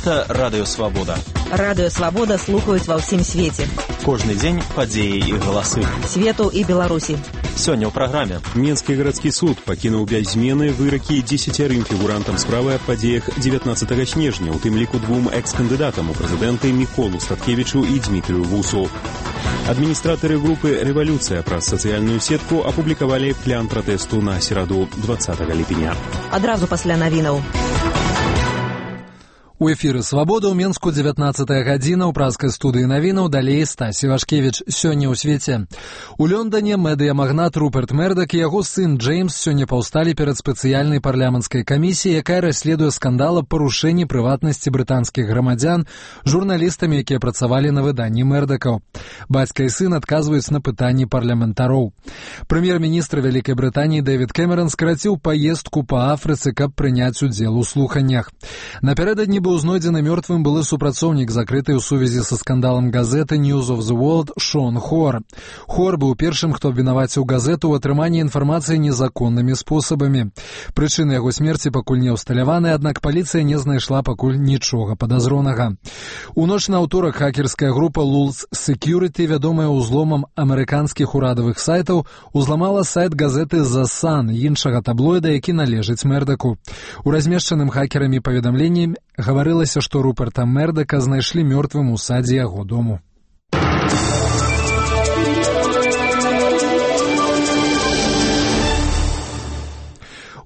Гэта Радыё Свабода. Радыё Свабода слухаюць ва ўсім свеце. Кожны дзень падзеі і галасы. Свету і Беларусі. Сёння ў праграме. Менскі гарадскі суд пакінуў без змены выракі 10 фігурантам справы аб падзеях 19 снежня, у тым ліку 2 экс-кандыдатам у прэзідэнты Міколу Статкевічу і Дмітрыю Вусу. Адміністратары групы «Рэвалюцыя» праз сацыяльную сетку апублікавалі план пратэсту на сераду 20 ліпеня. Адразу пасля навінаў. У эфіры «Свабода» ў Менску 19 гадзіна ў празкай студыі навінаў, далей Стась Івашкевіч. Сёння ў свеце. У Лондоне медыямагнат Руперт Мердак і яго сын Джеймс сёння паўсталі перад спецыяльнай парламенцкай камісіяй, якая расследуе скандал аб парушэнні прыватнасці брытанскіх грамадзян журналістамі, якія працавалі на выданні Мердакаў. Бацька і сын адказваюць на пытанні парламентароў. Прэм'ер-міністр Вялікай Брытаніі Дэвід Кэмерон скараціў паездку па Афрыцы, каб прыняць удзел у слуханнях. Напярэдадні быў знойдзены мёртвым былы супрацоўнік закрытай у сувязі са скандалам газеты News of the World Шон Хор. Хор быў першым, хто абвінаваціў газету ў атрыманні інфармацыі незаконнымі спосабамі. Прычыны яго смерці пакуль не ўсталяваны, аднак паліцыя не знайшла пакуль нічога падазронага. У ноч на ўторак хакерская група Lulz Security, вядомая ўзломам амерыканскіх урадавых сайтаў, узламала сайт газеты The Sun, іншага таблоіда, які належыць Мердаку. У размешчаным хакерамі паведамленні гаварылася, што Руперта Мердака знайшлі мёртвым у садзе яго дому.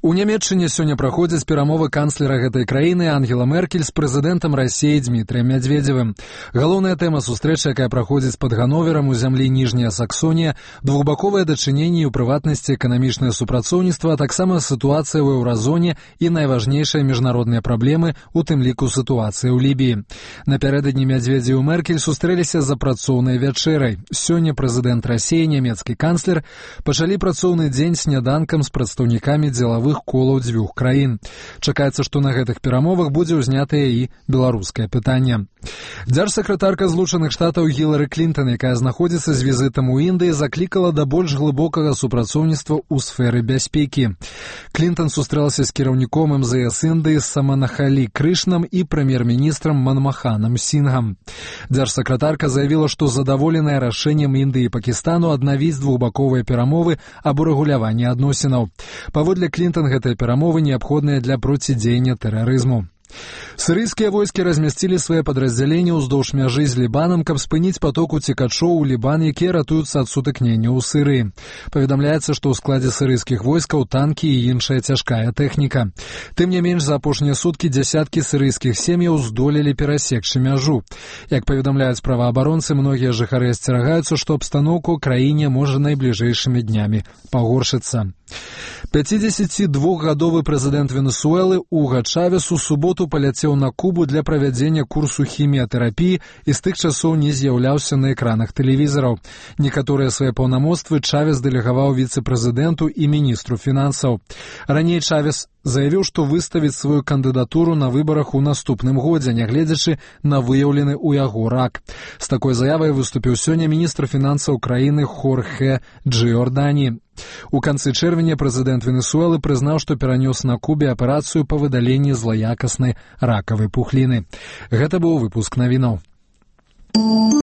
У Нямецчыне сёння праходзяць перамовы канцлера гэтай краіны Ангела Меркель з прэзідэнтам Расіі Дмітрыем Мядзведзевым. Галоўная тэма сустрэчы, якая праходзіць пад Ганноверам у зямлі Ніжняя Саксонія, двухбаковыя дачыненні, у прыватнасці эканамічнае супрацоўніцтва, а таксама сітуацыя ў еўразоне і найважнейшыя міжнародныя праблемы, у тым ліку сітуацыя ў Лібіі. Напярэдадні Мядзведзеў і Меркель сустрэліся за працоўнай вячэрай. Сёння прэзідэнт Расіі, нямецкі канцлер пачалі працоўны дзень сняданкам з прадстаўнікамі дзелавых колаў дзвюх краін. Чакаецца, што на гэтых перамовах будзе ўзнятае і беларускае пытанне. Дзяржсакратарка Злучаных Штатаў Гілары Клінтон, якая знаходзіцца з візітам у Індыі, заклікала да больш глыбокага супрацоўніцтва ў сферы бяспекі. Клінтон сустрэлася з кіраўніком МЗС Індыі Саманахалі Крышнам і прэм'ер-міністрам Манмаханам Сінгам. Дзяржсакратарка заявіла, што задаволеная рашэннем Індыі і Пакістану аднавіць двухбаковыя перамовы аб урэгуляванні адносінаў. Паводле Клінтон, гэтыя перамовы неабходныя для процідзеяння тэрарызму. Сірыйскія войскі размясцілі свае падраздзяленні ўздоўж мяжы з Лібанам, каб спыніць поток уцекачоў у Лібан, якія ратуюцца ад сутыкнення ў Сірыі. Паведамляецца, што ў складзе сірыйскіх войскаў танкі і іншая цяжкая тэхніка. Тым не менш, за апошнія суткі дзясяткі сірыйскіх сем'яў здолелі перасекчы мяжу. Як паведамляюць праваабаронцы, многія жыхары асцерагаюцца, што абстаноўка ў краіне можа найбліжэйшымі днямі пагоршыцца. 52-гадовы прэзідэнт Венесуэлы Уга Чавес у суботу паляцеў на Кубу для правядзення курсу хіміятэрапіі і з тых часоў не з'яўляўся на экранах тэлевізараў. Некаторыя свае паўнамоцтвы Чавес дэлегаваў віцэ-прэзідэнту і міністру фінансаў. Раней Чавес заявіў, што выставіць сваю кандыдатуру на выбарах у наступным годзе, нягледзячы на выяўлены ў яго рак. З такой заявай выступіў сёння міністр фінансаў краіны Хорхе Джиордані. У канцы чэрвеня прэзідэнт Венесуэлы прызнаў, што перанёс на Кубе аперацыю па выдаленні злаякаснай ракавай пухліны. Гэта быў выпуск навінаў.